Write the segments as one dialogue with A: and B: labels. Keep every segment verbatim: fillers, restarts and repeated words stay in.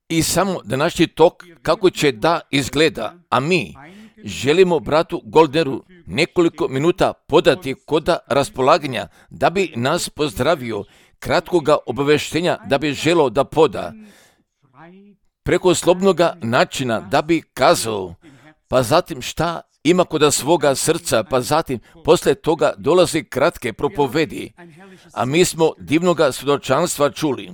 A: I samo današnji tok kako će da izgleda, a mi želimo bratu Goldneru nekoliko minuta podati koda raspolaganja da bi nas pozdravio, kratkoga obaveštenja da bi želeo da poda, preko slobodnoga načina da bi kazao, pa zatim šta ima koda svoga srca, pa zatim posle toga dolazi kratke propovedi. A mi smo divnoga svjedočanstva čuli.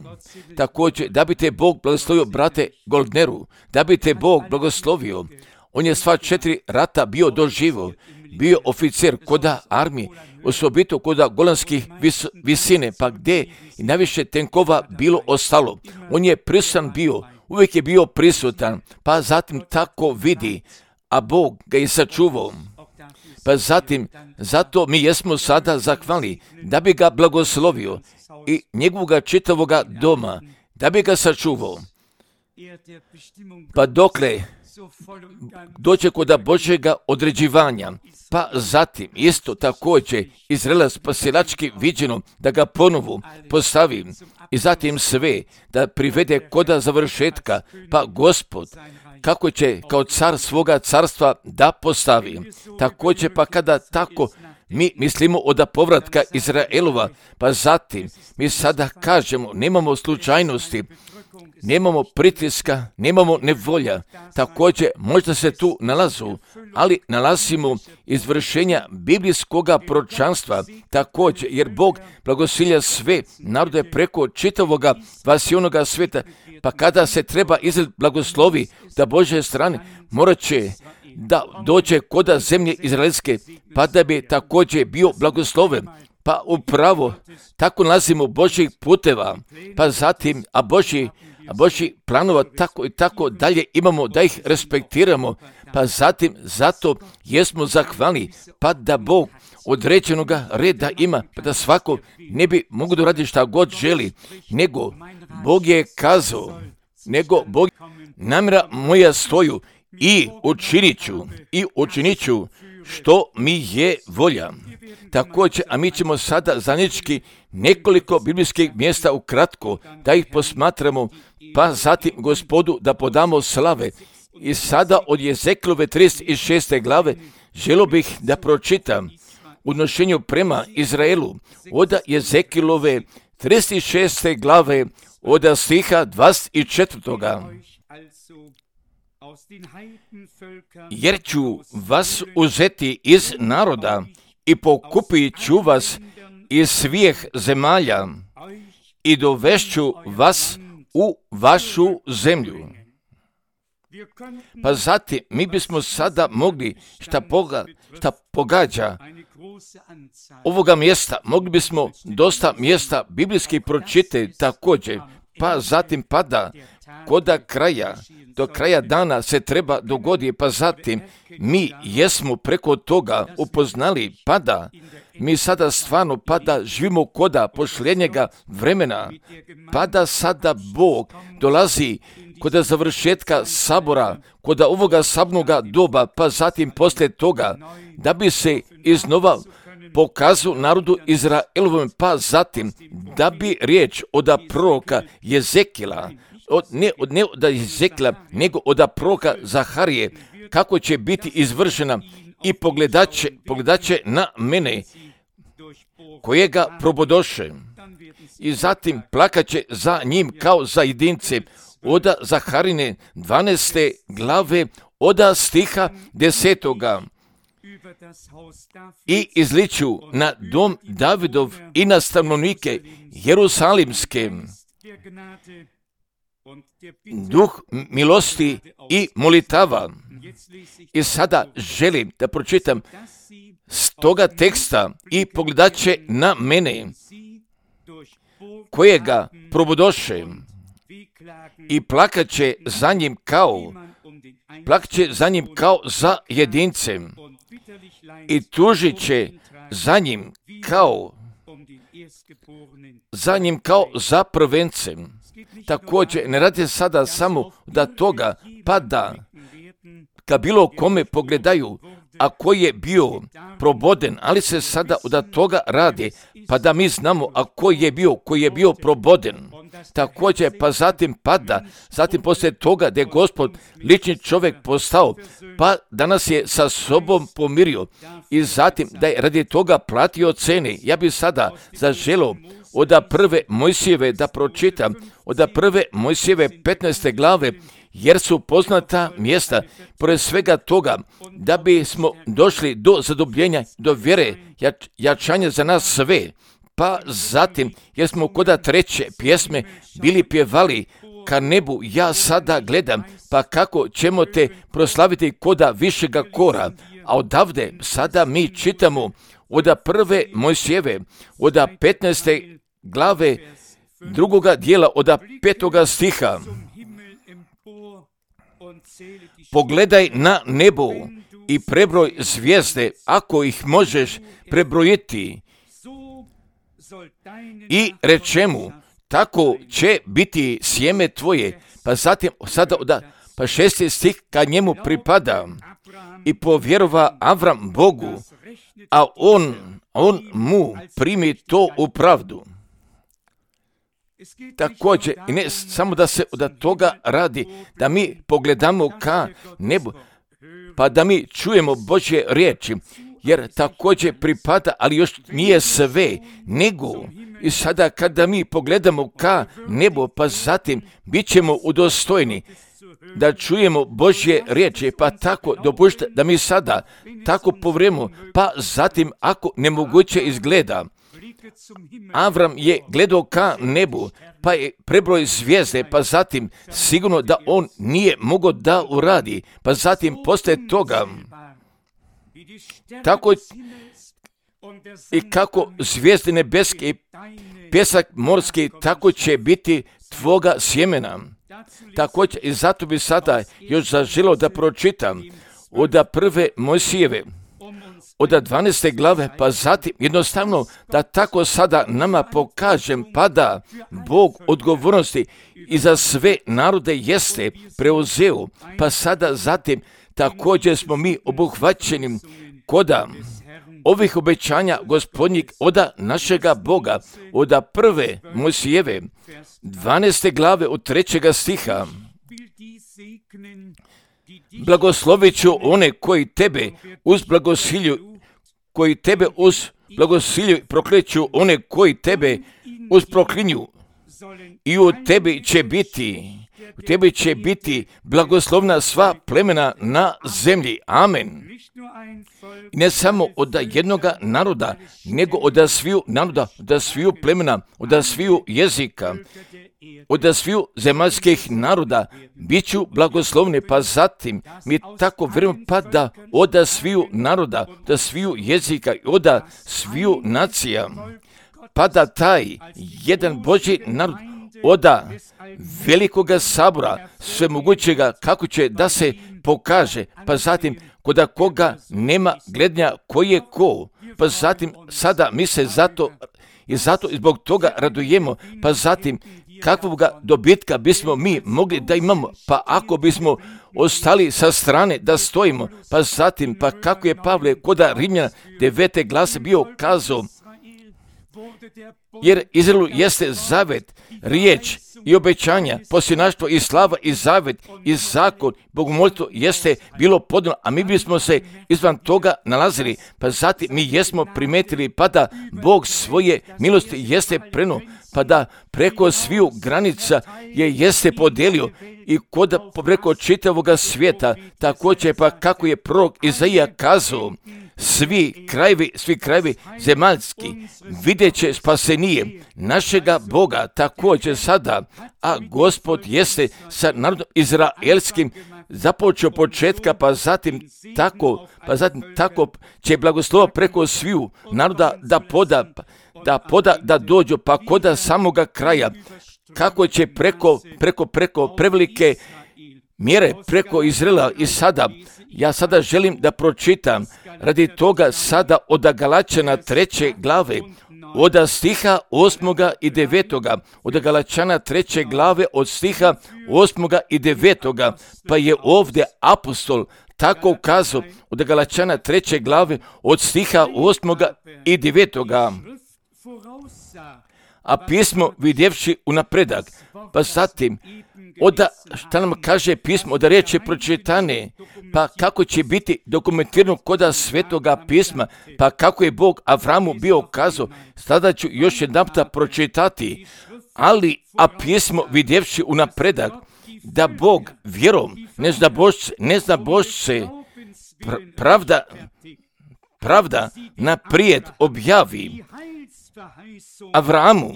A: Također, da bi te Bog blagoslovio brate Goldneru, da bi te Bog blagoslovio. On je sva četiri rata bio doživo, bio oficir koda armije, osobito koda golanskih vis, visine, pa gdje i najviše tenkova bilo ostalo. On je prisutan bio, uvijek je bio prisutan, pa zatim tako vidi, a Bog ga je sačuvao. Pa zatim, zato mi jesmo sada zahvalni da bi ga blagoslovio i njegovoga čitavoga doma, da bi ga sačuvao. Pa dokle doće koda Božjega određivanja, pa zatim isto također Izraela spasilački viđeno da ga ponovo postavi i zatim sve da privede koda završetka, pa Gospod kako će kao car svoga carstva da postavi. Također pa kada tako mi mislimo od povratka Izraelova, pa zatim mi sada kažemo nemamo slučajnosti, nemamo pritiska, nemamo nevolja. Također možda se tu nalazu, ali nalazimo izvršenja biblijskoga proročanstva također, jer Bog blagosilja sve narode preko čitavoga vasionoga svijeta, pa kada se treba izred blagoslovi da Božje strane, morat će da dođe koda zemlje izraelske, pa da bi također bio blagosloven. Pa upravo tako nalazimo Božjih puteva, pa zatim, a Božji a Božji planova tako i tako dalje imamo da ih respektiramo, pa zatim zato jesmo zahvalni, pa da Bog određenoga reda ima, pa da svako ne bi mogu da radi šta god želi, nego Bog je kazao, nego Bog namjera moja stoju i učinit ću, i učinit ću što mi je volja. Također, a mi ćemo sada zajednički nekoliko biblijskih mjesta ukratko da ih posmatramo, pa zatim Gospodu da podamo slave. I sada od Jezekilove trideset šeste glave želio bih da pročitam u odnošenju prema Izraelu od Jezekilove trideset šeste glave od stiha dvadeset četvrtoga. Jer ću vas uzeti iz naroda i pokupit ću vas iz svih zemalja i dovešću vas u vašu zemlju. Pa zatim mi bismo sada mogli šta, poga, šta pogađa ovoga mjesta, mogli bismo dosta mjesta biblijskih pročitati također, pa zatim pada koda kraja, do kraja dana se treba dogoditi, pa zatim mi jesmo preko toga upoznali pada, mi sada stvarno pada živimo koda posljednjega vremena, pada sada Bog dolazi koda završetka sabora, koda ovoga sabnoga doba, pa zatim poslije toga, da bi se iznova pokazao narodu Izraelovom, pa zatim da bi riječ od proroka Jezekila, od, ne, od, ne od Jezekila, nego od proroka Zaharije, kako će biti izvršena i pogledaće, pogledaće na mene, kojega probodoše, i zatim plakaće za njim kao za jedince, od Zaharine dvanaeste glave, od stiha desetoga. I izliču na dom Davidov i na stanovnike Jerusalimske duh milosti i molitava. I sada želim da pročitam s toga teksta i pogledat će na mene, kojega probodoše, i plakat će za njim kao, plakat će za njim kao za jedincem, i tužit će za njim kao za njim kao za prvencem. Također, ne radi sada samo da toga, pa da ka bilo kome pogledaju, a koji je bio proboden, ali se sada od toga radi, pa da mi znamo, a koji je bio, koji je bio proboden. Također, pa zatim pada, zatim poslije toga da je Gospod lični čovjek postao, pa danas je sa sobom pomirio i zatim da je radi toga platio cene. Ja bih sada zaželio od prve Mojsijeve da pročitam, od prve Mojsijeve petnaeste glave, jer su poznata mjesta, pored svega toga, da bismo došli do zadobljenja, do vjere, jač, jačanja za nas sve. Pa zatim, jer smo koda treće pjesme bili pjevali, ka nebu ja sada gledam, pa kako ćemo te proslaviti koda višega kora. A odavde sada mi čitamo od prve Mojsijeve, od petnaeste glave, drugoga dijela, od petoga stiha. Pogledaj na nebo i prebroj zvijezde, ako ih možeš prebrojiti. I reče mu, tako će biti sjeme tvoje. Pa zatim, sada od pa šesti stih kad njemu pripada. I povjerova Avram Bogu, a on, on mu primi to u pravdu. Također, i ne samo da se od toga radi, da mi pogledamo ka nebu, pa da mi čujemo Božje riječi, jer također pripada, ali još nije sve, nego i sada kada mi pogledamo ka nebu, pa zatim bit ćemo udostojni da čujemo Božje riječi, pa tako dopušta da mi sada tako povremo, pa zatim ako nemoguće izgleda. Avram je gledao ka nebu, pa je prebroj zvijezde, pa zatim sigurno da on nije mogao da uradi, pa zatim poslije toga, tako i kako zvijezde nebeske i pjesak morski, tako će biti tvoga sjemena. Također, i zato bi sada još zaželio da pročitam od prve Mojsijeve, od dvanaeste glave, pa zatim jednostavno da tako sada nama pokažem, pa da Bog odgovornosti i za sve narode jeste preuzeo, pa sada zatim također smo mi obuhvaćeni koda ovih obećanja Gospodnjeg od našega Boga, od prve Mojsijeve, dvanaeste glave od trećega stiha. Blagoslovit ću one koji tebe uz blagosilju, koji tebe uz blagosilju prokleću, one koji tebe uz proklinju. I u tebi će biti, u tebi će biti blagoslovna sva plemena na zemlji. Amen. I ne samo od jednoga naroda, nego od sviju naroda, od sviju plemena, od sviju jezika, od sviju zemaljskih naroda bit ću blagoslovni, pa zatim mi tako vjerujemo, pa da od sviju naroda, od sviju jezika i od sviju nacija, pa da taj jedan Božji narod od velikoga sabora svemogućega kako će da se pokaže, pa zatim koda koga nema gledanja koji je ko, pa zatim sada mi se zato i zato i zbog toga radujemo, pa zatim kakvoga dobitka bismo mi mogli da imamo, pa ako bismo ostali sa strane da stojimo, pa zatim, pa kako je Pavle koda Rimljana devete glase bio kazao, jer Izraelu jeste zavet, riječ i obećanja, posljednaštvo i slava i zavet i zakon, bogomolstvo jeste bilo podano, a mi bismo se izvan toga nalazili, pa zatim mi jesmo primetili, pa da Bog svoje milosti jeste prenuo, pa da preko sviju granica je jeste podijelio i kod preko čitavoga svijeta, također pa kako je prorok Izaija kazao, svi krajevi, svi krajevi zemaljski vidjet će spasenije našega Boga također sada, a Gospod jeste sa narodom izraelskim započeo početka, pa zatim tako, pa zatim tako će blagoslova preko sviju naroda da poda, da poda, da dođu, pa koda samoga kraja, kako će preko, preko, preko prevelike mjere preko Izraela. I sada, ja sada želim da pročitam radi toga sada od Galačana treće glave, od stiha osmoga i devetoga, od Galačana treće glave od stiha osmoga i devetoga, pa je ovdje apostol tako kazao od Galačana treće glave od stiha osmoga i devetoga. A pismo vidjevši unapredak, pa zatim, oda, šta nam kaže pismo, da riječi pročitane, pa kako će biti dokumentirano koda svetoga pisma, pa kako je Bog Avramu bio kazao, sada ću još jedan puta pročitati, ali, a pismo vidjevši unapredak, da Bog vjerom, ne zna Božce, ne zna Božce, pr- pravda, pravda naprijed objavi Avramu,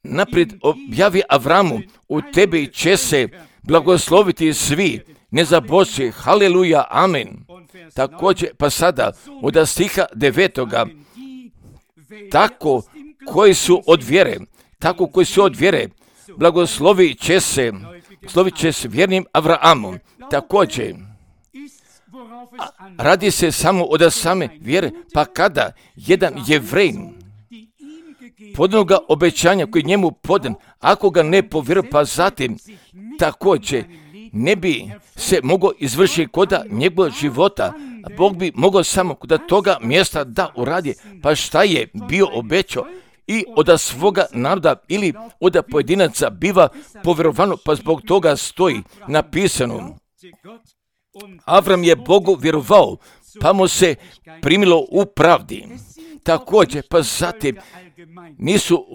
A: naprijed objavi Avramu, u tebi će se blagosloviti svi, ne zaboći, haleluja, amen. Također, pa sada, od stiha devetoga, tako koji su od vjere, tako koji su od vjere, blagoslovit će se, slovit će se vjernim Avraamom. Također, radi se samo od same vjere, pa kada jedan Jevrejin podnoga obećanja koji njemu podan, ako ga ne povjeruje, pa zatim također ne bi se mogao izvršiti koda njegovog života, a Bog bi mogao samo kod toga mjesta da uradi, pa šta je bio obećao i od svoga naroda ili od pojedinaca biva povjerovano, pa zbog toga stoji napisano. Avram je Bogu vjerovao, pa mu se primilo u pravdi. Također, pa zatim nisu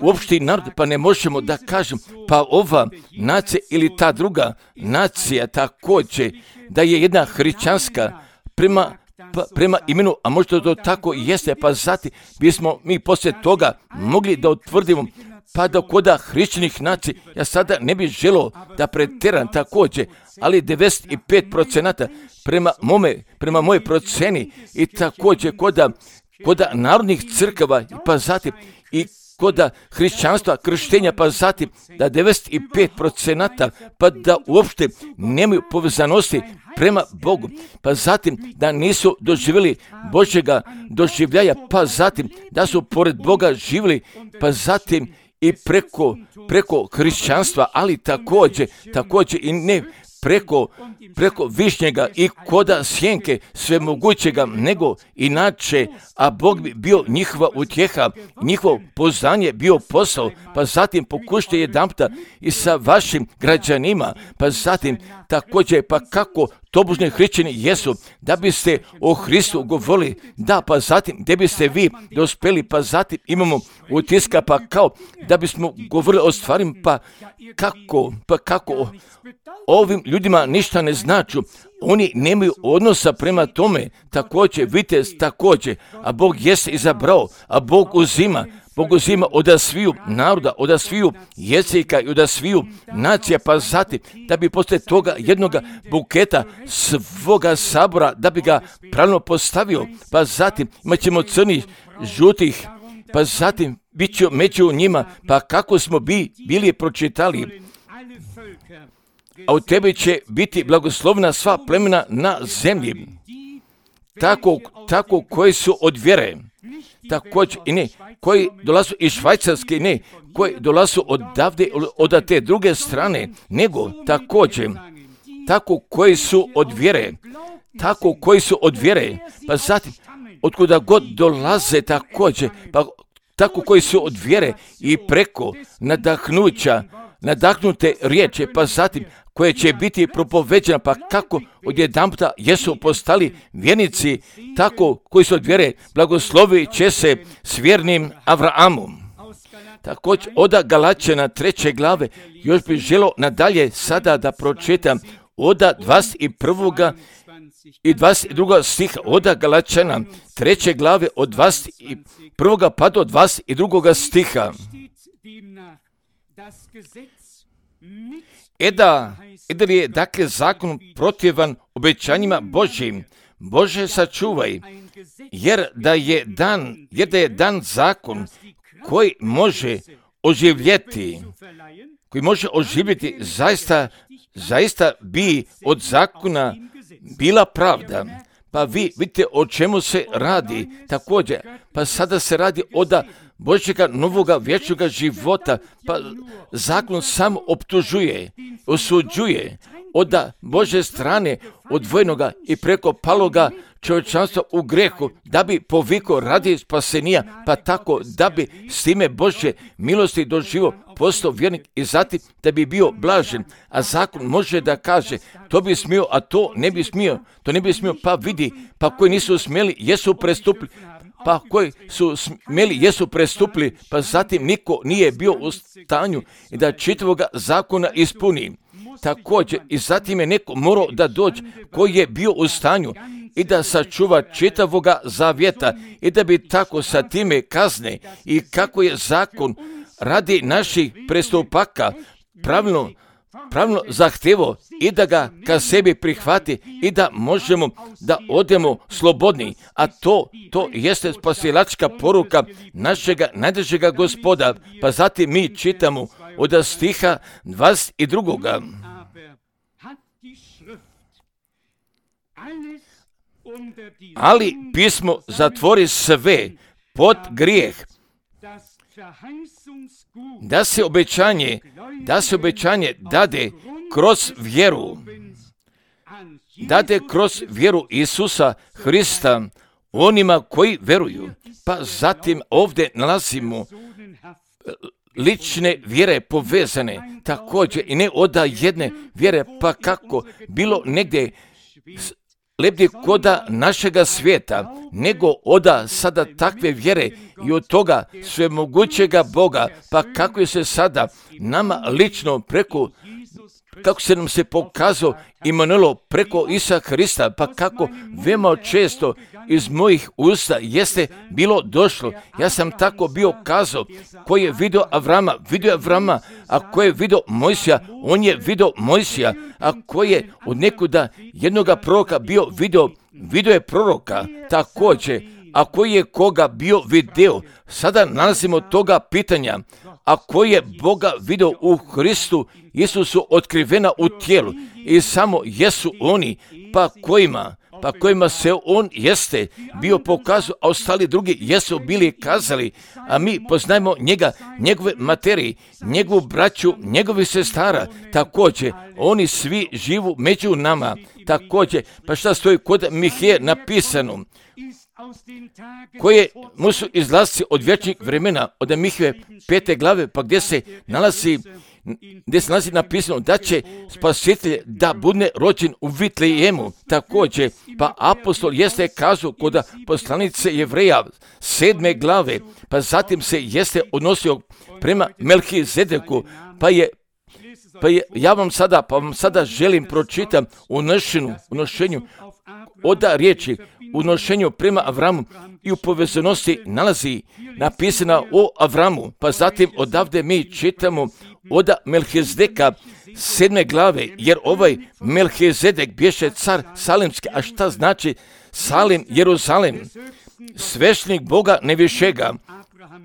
A: uopšti narod, pa ne možemo da kažemo, pa ova nacija ili ta druga nacija također, da je jedna hrišćanska prema, pa, prema imenu, a možda to tako jeste, pa zatim bismo mi poslije toga mogli da utvrdimo, pa da koda hrišćanih nacija, ja sada ne bih želio da pretjeram također, ali devedeset pet posto prema mome, prema moje proceni i također koda koda narodnih crkava, pa zatim i koda hrišćanstva, krštenja, pa zatim da devedeset pet posto pa da uopšte nemaju povezanosti prema Bogu, pa zatim da nisu doživjeli Božjega doživljaja, pa zatim da su pored Boga živjeli, pa zatim i preko, preko hrišćanstva, ali također, također i ne preko, preko višnjega i koda sjenke svemogućega, nego inače, a Bog bi bio njihova utjeha, njihovo poznanje bio posao, pa zatim pokušajte jedanputa i sa vašim građanima, pa zatim također, pa kako tobožni hrišćani jesu, da biste o Hristu govorili, da, pa zatim, gdje biste vi dospeli, pa zatim imamo utiska, pa kao, da bismo govorili o stvarima, pa kako, pa kako, ovim ljudima ništa ne značu, oni nemaju odnosa prema tome, također, vidite, također, a Bog jeste izabrao, a Bog uzima, Bog uzima od sviju naroda, od sviju jezika i od sviju nacija, pa zatim, da bi poslije toga jednoga buketa svoga sabora, da bi ga pravilno postavio, pa zatim imat ćemo crnih, žutih, pa zatim bit će među njima, pa kako smo bi, bili pročitali, a u tebi će biti blagoslovna sva plemena na zemlji, tako, tako koji su od vjere, također i ne, koji dolazu iz Švajcarske, ne, koji dolazu odavde, od te druge strane, nego također, tako koji su od vjere, tako koji su od vjere, pa zatim, otkuda god dolaze također, pa tako koji su od vjere i preko nadahnuća, nadahnute riječi, pa zatim, koje će biti propoveđena, pa kako odjedanputa jesu postali vjernici, tako koji su od vjere, blagoslovit će se s vjernim Avraamom. Također, od Galačana treće glave, još bih želio nadalje sada da pročitam od dvadeset prvog i dvadeset drugog stiha, od Galačana treće glave, od dvadeset prvog pa do dvadeset drugog stiha. Eda, eda li je dakle zakon protivan obećanjima Božjim? Bože, sačuvaj, jer da je dan, jer da je dan zakon koji može oživjeti, koji može oživjeti, zaista, zaista bi od zakona bila pravda. Pa vi vidite o čemu se radi također, pa sada se radi od Božjega novoga vječnoga života, pa zakon sam optužuje, osuđuje, od Bože strane odvojenoga i preko paloga čovječanstva u grehu, da bi poviko radi spasenija, pa tako da bi s time Božje milosti doživo postao vjernik i zatim da bi bio blažen. A zakon može da kaže, to bi smio, a to ne bi smio, to ne bi smio, pa vidi, pa koji nisu smjeli, jesu prestupili, pa koji su smjeli, jesu prestupili, pa zatim niko nije bio u stanju i da čitavoga zakona ispuni. Također i zatim je neko morao da dođe koji je bio u stanju i da sačuva čitavoga zavjeta i da bi tako sa time kazne i kako je zakon radi naših prestupaka pravilno, pravilno zahtjevo i da ga ka sebi prihvati i da možemo da odemo slobodni, a to, to jeste spasilačka poruka našega najdražega Gospoda. Pa zatim mi čitamo od stiha dvadeset drugoga. Ali pismo zatvori sve pod grijeh, da se obećanje, da se obećanje dade kroz vjeru, dade kroz vjeru Isusa Hrista onima koji veruju. Pa zatim ovdje nalazimo lične vjere povezane, također i ne od jedne vjere, pa kako bilo negdje lepdi koda našega svijeta, nego oda sada takve vjere i od toga svemogućega Boga, pa kako je se sada nama lično preko, kako se nam se pokazao Imanuelo preko Isusa Hrista, pa kako veoma često iz mojih usta jeste bilo došlo. Ja sam tako bio kazao, koji je vidio Avrama, vidio Avrama, a koji je vidio Mojsija, on je vidio Mojsija, a koji je od nekuda jednoga proroka bio vidio, vidio je proroka, također, a koji je koga bio video. Sada nalazimo toga pitanja, a koji je Boga vidio u Hristu, Isusu otkrivena u tijelu i samo jesu oni, pa kojima, pa kojima se on jeste bio pokazao, a ostali drugi jesu bili kazali, a mi poznajemo njega, njegove materije, njegovu braću, njegovi sestara, također, oni svi živu među nama, također, pa šta stoji kod Mihije napisano, koje mu su izlasci od vječnih vremena, od Mihije pete glave, pa gdje se nalazi, gdje se nalazi napisano da će spasitelj da bude rođen u Vitlejemu, također, pa apostol jeste kazao kod poslanice Jevreja sedme glave, pa zatim se jeste odnosio prema Melhizedeku, pa je Pa je, ja vam sada, pa vam sada želim pročitam u nošenju, u nošenju oda riječi, u nošenju prema Avramu i u povezanosti nalazi napisana o Avramu, pa zatim odavde mi čitamo oda Melhizedeka sedme glave, jer ovaj Melhizedek bješe car Salimski. A šta znači Salim, Jeruzalem? Svešnik Boga nevišega,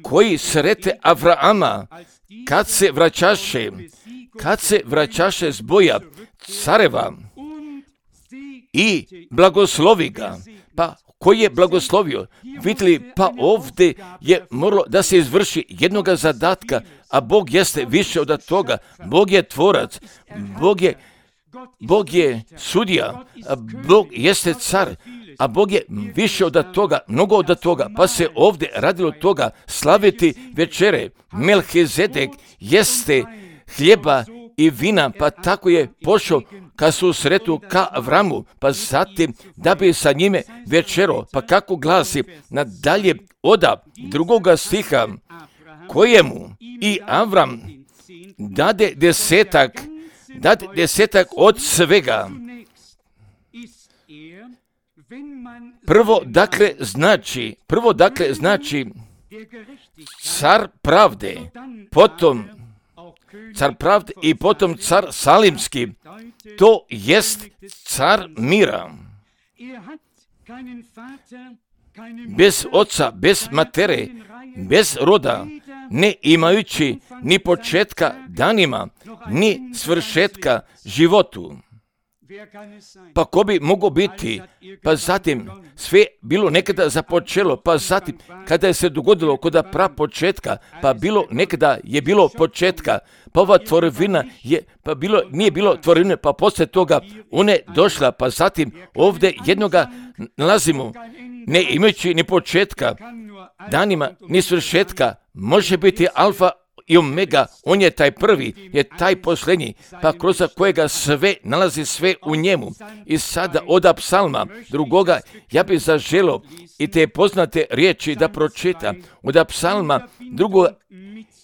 A: koji srete Avrama, kad se vraćaše, kad se vraćaše s boja careva i blagoslovi ga. Pa koji je blagoslovio? Vidjeli, pa ovdje je moralo da se izvrši jednoga zadatka, a Bog jeste više od toga. Bog je tvorac, Bog je, Bog je sudija, a Bog jeste car, a Bog je više od toga, mnogo od toga, pa se ovdje radilo toga slaviti večere. Melhizedek jeste hljeba i vina, pa tako je pošao ka susretu ka Avramu, pa zatim da bi sa njime večero, pa kako glasi nadalje oda drugoga stiha, kojemu i Avram dade desetak, dade desetak od svega. Prvo dakle znači, prvo dakle znači car pravde, potom car pravde i potom car Salimski, to jest car mira. Bez oca, bez matere, bez roda, ne imajući ni početka danima, ni svršetka životu. Pa ko bi mogao biti? Pa zatim sve bilo nekada započelo, pa zatim kada je se dogodilo kod prapočetka, pa bilo nekada je bilo početka, pa ova tvorevina je, pa bilo, nije bilo tvorevine, pa poslije toga ona je došla, pa zatim ovdje jednoga nalazimo, ne imajući ni početka, danima ni svršetka, može biti alfa i omega, on je taj prvi, je taj posljednji, pa kroz kojega sve nalazi sve u njemu. I sada od psalma drugoga ja bih zaželio i te poznate riječi da pročita od psalma drugoga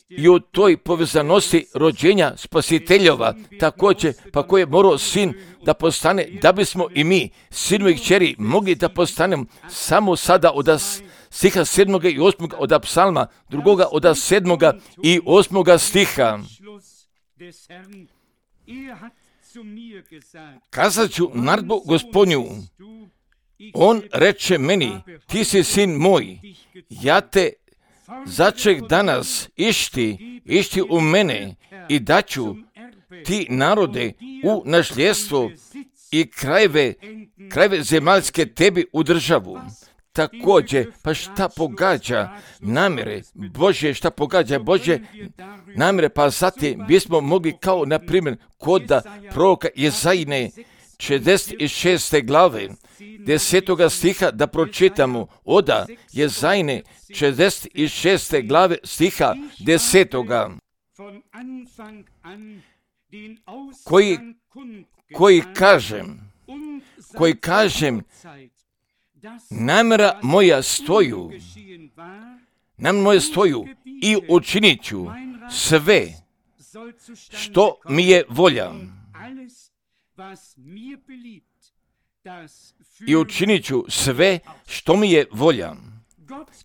A: i u toj povezanosti rođenja spasiteljova, također pa koji je morao sin da postane, da bismo i mi, sinovi i kćeri, mogli da postanemo samo sada od stiha sedmoga i osmoga od psalma, drugoga od sedmoga i osmoga stiha. Kazat ću naredbu Gospodnju, on reče meni, ti si sin moj, ja te začek danas išti, išti u mene i daću ti narode u nasljedstvo i krajeve, krajeve zemaljske tebi u državu. Također, pa šta pogađa namjere Božje, šta pogađa Božje namjere, pa zatim bismo mogli kao, na primjer, kod proroka Jezajine, četrdeset šeste glave, desetoga stiha da pročitamo, oda Jezajine, četrdeset šeste glave, stiha desetoga, koji, koji kažem, koji kažem, namjera moja stoju, namjera moja stoju i učinit ću sve što mi je volja. I učinit ću sve što mi je volja.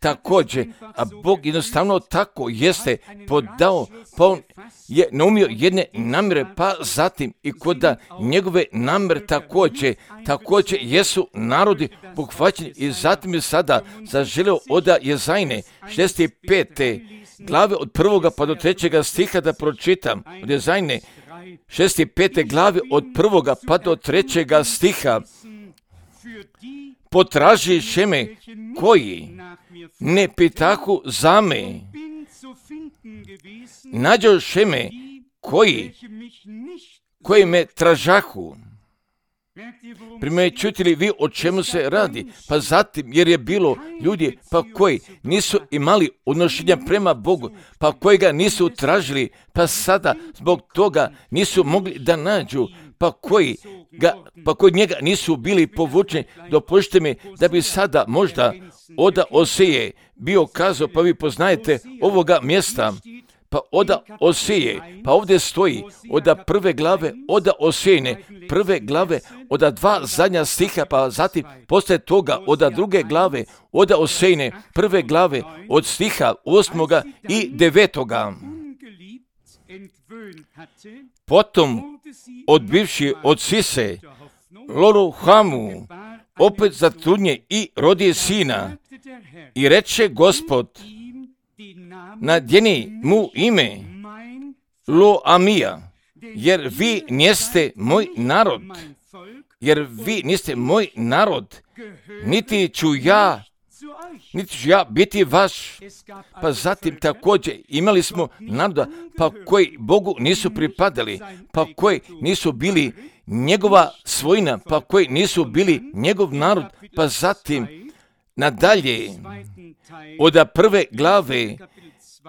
A: Također, a Bog jednostavno tako jeste podao, pa on je naumio jedne namjere, pa zatim i kod njegove namjere također, također jesu narodi pohvaćeni i zatim je sada zaželio od Jezajine, šezdeset pete glave od prvoga pa do trećega stiha da pročitam, od Jezajine, šezdeset pete glave od prvoga pa do trećega stiha. Potražiše me koji ne pitahu za me, nađoše me koji, koji me tražahu. Primjećujete li vi o čemu se radi? Pa zatim, jer je bilo ljudi pa koji nisu imali odnošenja prema Bogu, pa koji ga nisu tražili, pa sada zbog toga nisu mogli da nađu, pa koji, ga, pa koji njega nisu bili povučeni. Dopustite mi da bi sada možda od Oseje bio kazao, pa vi poznajete ovoga mjesta, pa od Oseje, pa ovdje stoji od prve glave, od Osejine, prve glave, od dva zadnja stiha, pa zatim poslije toga od druge glave, od Osejine, prve glave, od stiha osmoga i devetoga. Potom, odbivši od Sise, Loruhamu, opet zatrudnje i rodi sina, i reče Gospod, nadjeni mu ime Lo-Amija, jer vi niste moj narod, jer vi niste moj narod, niti ću ja, niti ću ja biti vaš. Pa zatim također imali smo naroda, pa koji Bogu nisu pripadali, pa koji nisu bili njegova svojina, pa koji nisu bili njegov narod, pa zatim nadalje od prve glave,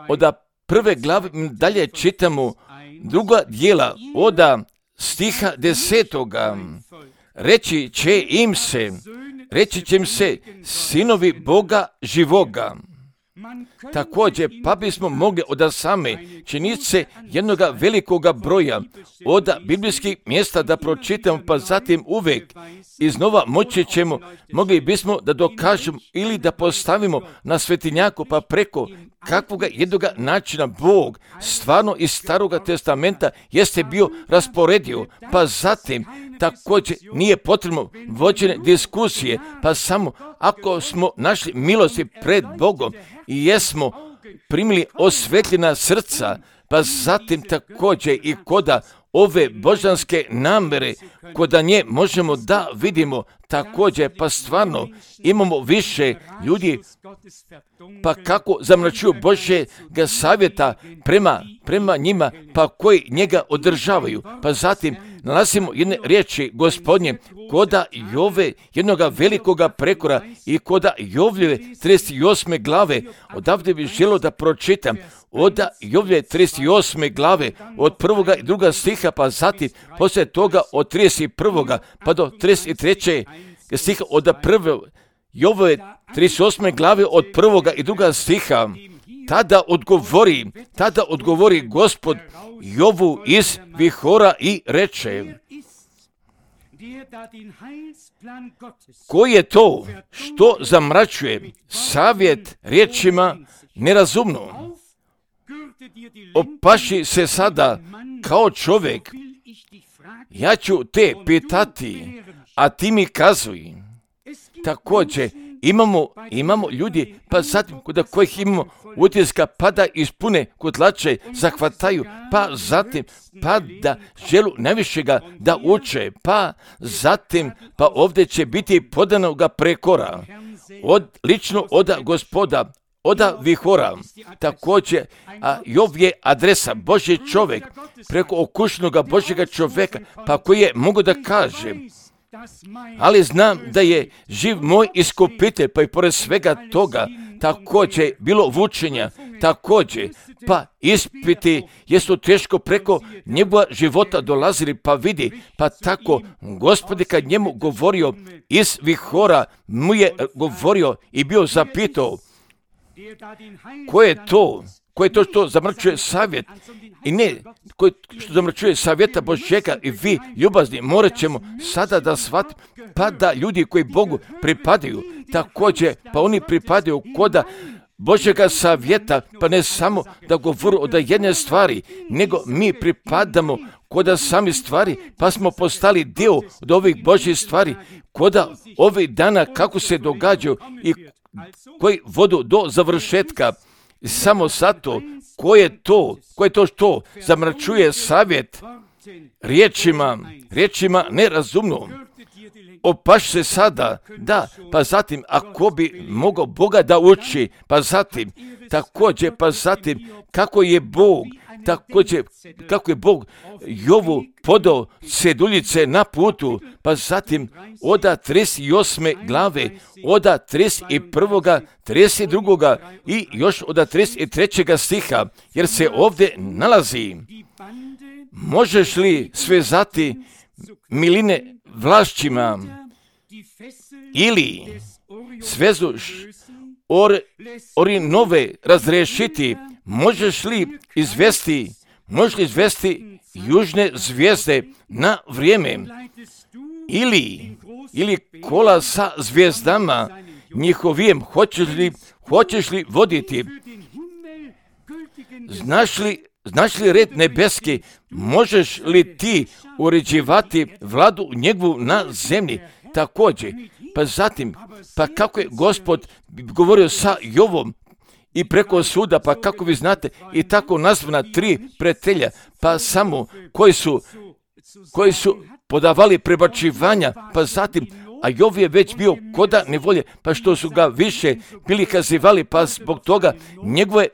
A: od prve glave dalje čitamo druga dijela od stiha desetoga. Reći će im se, reći će im se sinovi Boga živoga. Također, pa bismo mogli od same činjenice jednoga velikoga broja od biblijskih mjesta da pročitamo, pa zatim uvijek iznova moći ćemo, mogli bismo da dokažemo ili da postavimo na svetinjaku, pa preko kakvoga jednoga načina Bog stvarno iz Staroga testamenta jeste bio rasporedio, pa zatim također nije potrebno vođene diskusije, pa samo ako smo našli milosti pred Bogom i jesmo primili osvetljena srca, pa zatim također i koda ove božanske namere kod nje možemo da vidimo također, pa stvarno imamo više ljudi, pa kako zamračuju Božjega savjeta prema, prema njima, pa koji njega održavaju. Pa zatim nalazimo jedne riječi Gospodnje koda Jove, jednoga velikoga prekora i koda Jovljeve trideset osme glave. Odavde bih želio da pročitam od Jovljeve trideset osme glave od prvoga i druga stiha, pa zatim poslije toga od trideset prvoga pa do trideset trećeg stiha od prve Jovljeve trideset osme glave od prvoga i druga stiha. Tada odgovori, tada odgovori Gospod Jovu iz vihora i reče: ko je to što zamračuje savjet riječima nerazumno? Opaši se sada kao čovjek, ja ću te pitati, a ti mi kazuj. Također imamo, imamo ljudi, pa zatim kod kojih imamo utiska, pa da ispune kotlače, zahvataju, pa zatim pa da želu najvišega da uče, pa zatim pa ovdje će biti podanoga prekora, od, lično od Gospoda, od vihora. Također, a Jov je adresa, Božji čovjek, preko okušnoga Božjega čovjeka, pa koji je mogu da kaže: ali znam da je živ moj iskupitelj, pa i pored svega toga također bilo vučenja, također pa ispiti jesu teško preko njegova života dolazili, pa vidi, pa tako Gospod kad njemu govorio iz vihora, mu je govorio i bio zapitao: ko je to? Ko je to što zamračuje savjet? I ne, ko što zamračuje savjeta Božjega, i vi, ljubazni, morat ćemo sada da shvatimo, pa da ljudi koji Bogu pripadaju, također, pa oni pripadaju koda Božjega savjeta, pa ne samo da govoru od jedne stvari, nego mi pripadamo koda sami stvari, pa smo postali dio od ovih Božjih stvari, koda ovih dana kako se događaju i koji vodu do završetka. Samo zato, ko je to, ko je to što zamračuje savjet riječima, riječima nerazumno? Opaš se sada, da, pa zatim, ako bi mogao Boga da uči, pa zatim, također, pa zatim, kako je Bog, također, kako je Bog Jovu podao ceduljice na putu, pa zatim, oda trideset osme glave, oda trideset prvoga, trideset drugoga i još oda trideset trećega stiha, jer se ovdje nalazi: možeš li svezati miline vlašćima ili svezu or, orinove razrešiti? Možeš li izvesti, možeš li izvesti južne zvijezde na vrijeme? Ili, ili kola sa zvijezdama njihovijem, hoćeš li, hoćeš li voditi? Znaš li, znaš li red nebeski? Možeš li ti uređivati vladu njegovu na zemlji? Također, pa zatim, pa kako je Gospod govorio sa Jovom i preko suda, pa kako vi znate, i tako nazvana tri pretelja, pa samo koji su, koji su podavali prebačivanja, pa zatim, a Jov je već bio koda nevolje, pa što su ga više bili kazivali, pa zbog toga njegove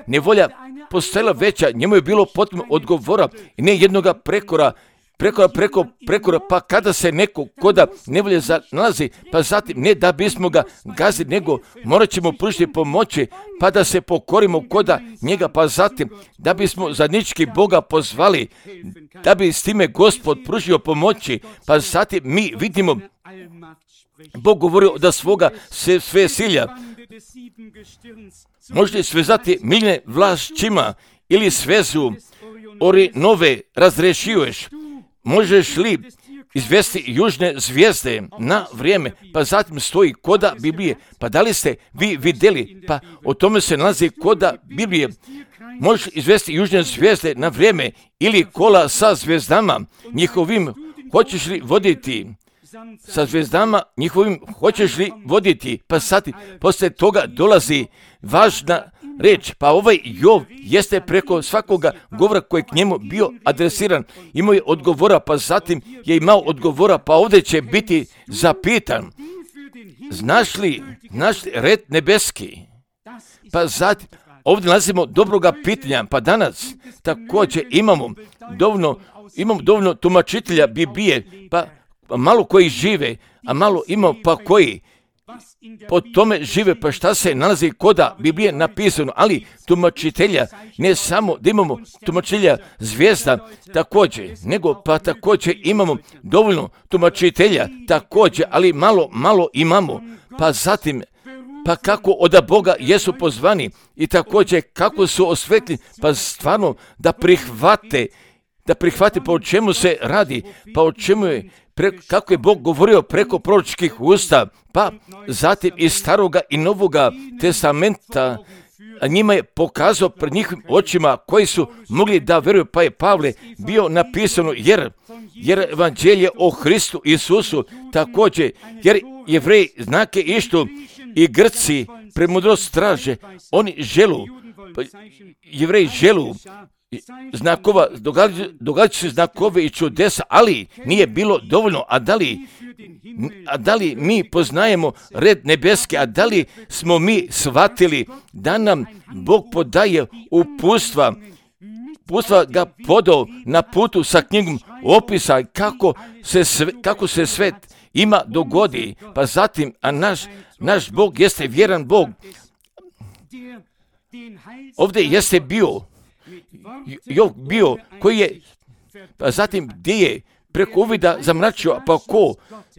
A: nevolja postajala veća, njemu je bilo potrebno odgovora i ne jednoga prekora, prekora, preko, prekora, pa kada se neko koda nevolje nalazi, pa zatim ne da bismo ga gazili, nego morat ćemo pružiti pomoći, pa da se pokorimo koda njega, pa zatim da bismo zajednički Boga pozvali, da bi s time Gospod pružio pomoći, pa zatim mi vidimo Bog govorio da svoga se sve silja. Možete svezati miline vlašćima ili svezu orinove razrešuješ? Možeš li izvesti južne zvijezde na vrijeme? Pa zatim stoji koda Biblije. Pa da li ste vi vidjeli? Pa o tome se nalazi koda Biblije. Možeš izvesti južne zvijezde na vrijeme ili kola sa zvijezdama njihovim, hoćeš li voditi? Sa zvijezdama njihovim hoćeš li voditi? Pa sad poslije toga dolazi važna reč. Pa ovaj Jov jeste preko svakoga govora koji k njemu bio adresiran. Imao je odgovora, pa zatim je imao odgovora, pa ovdje će biti zapitan. Znaš li, znaš li red nebeski? Pa zatim, ovdje nalazimo dobroga pitanja, pa danas također imamo dovoljno, imamo dovoljno tumačitelja Biblije, pa malo koji žive, a malo imamo pa koji po tome žive, pa šta se nalazi koda Biblije napisano, ali tumačitelja, ne samo da imamo tumačitelja zvijezda također, nego pa također imamo dovoljno tumačitelja također, ali malo, malo imamo, pa zatim pa kako od Boga jesu pozvani i također kako su osvetljeni, pa stvarno da prihvate, da prihvate pa o čemu se radi, pa o čemu je, pre, kako je Bog govorio preko proročkih usta, pa zatim iz staroga i novoga testamenta, a njima je pokazao pred njihovim očima koji su mogli da vjeruju, pa je Pavle bio napisano, jer, jer evanđelje o Hristu Isusu također, jer Jevreji znake ištu i Grci premudrost traže, oni želu, pa Jevreji želu znakova, događaju se znakove i čudesa, ali nije bilo dovoljno. A da li, a da li mi poznajemo red nebeski, a da li smo mi shvatili da nam Bog podaje upustva, upustva ga podao na putu sa knjigom opisa kako se sve, kako se svet ima dogodi, pa zatim, a naš, naš Bog jeste vjeran Bog. Ovdje jeste bio Jov bio koji je, pa zatim gdje je preko uvida zamračio, pa ko,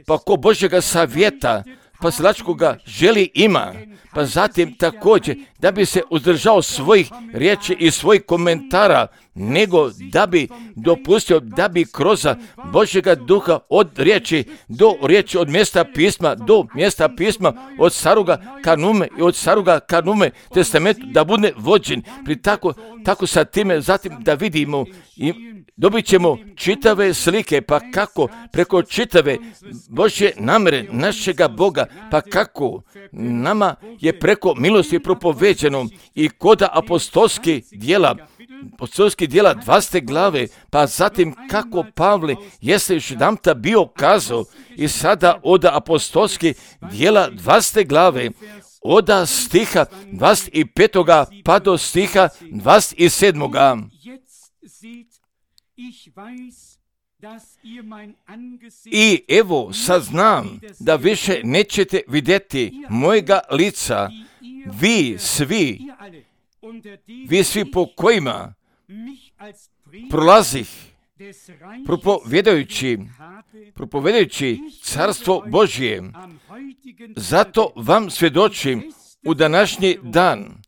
A: pa ko Božjega savjeta, pa slačkoga želi ima, pa zatim također da bi se uzdržao svojih riječi i svojih komentara, nego da bi dopustio da bi kroz Božjega duha od riječi do riječi, od mjesta pisma do mjesta pisma, od staroga kanume i od staroga kanume testamentu da bude vođen. Pri tako, tako sa time zatim da vidimo i dobit ćemo čitave slike, pa kako preko čitave Božje namere našega Boga, pa kako nama je preko milosti propoveđeno i koda apostolskih djela, apostolskih djela dvanaeste glave, pa zatim kako Pavle jeste još jedanputa bio kazao i sada od apostolskih djela dvanaeste glave, od stiha dvadeset petog pa do stiha dvadeset sedmog. I evo saznam da više nećete vidjeti mojega lica, vi svi, vi svi po kojima prolazih propovjedajući, propovjedajući carstvo Božje. Zato vam svjedočim u današnji dan,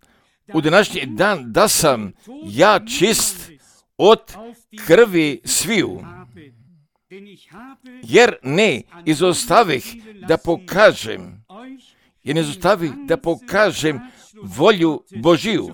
A: u današnji dan da sam ja čist od krvi sviju, jer ne izostavih da pokažem, jer ne izostavih da pokažem volju Božiju.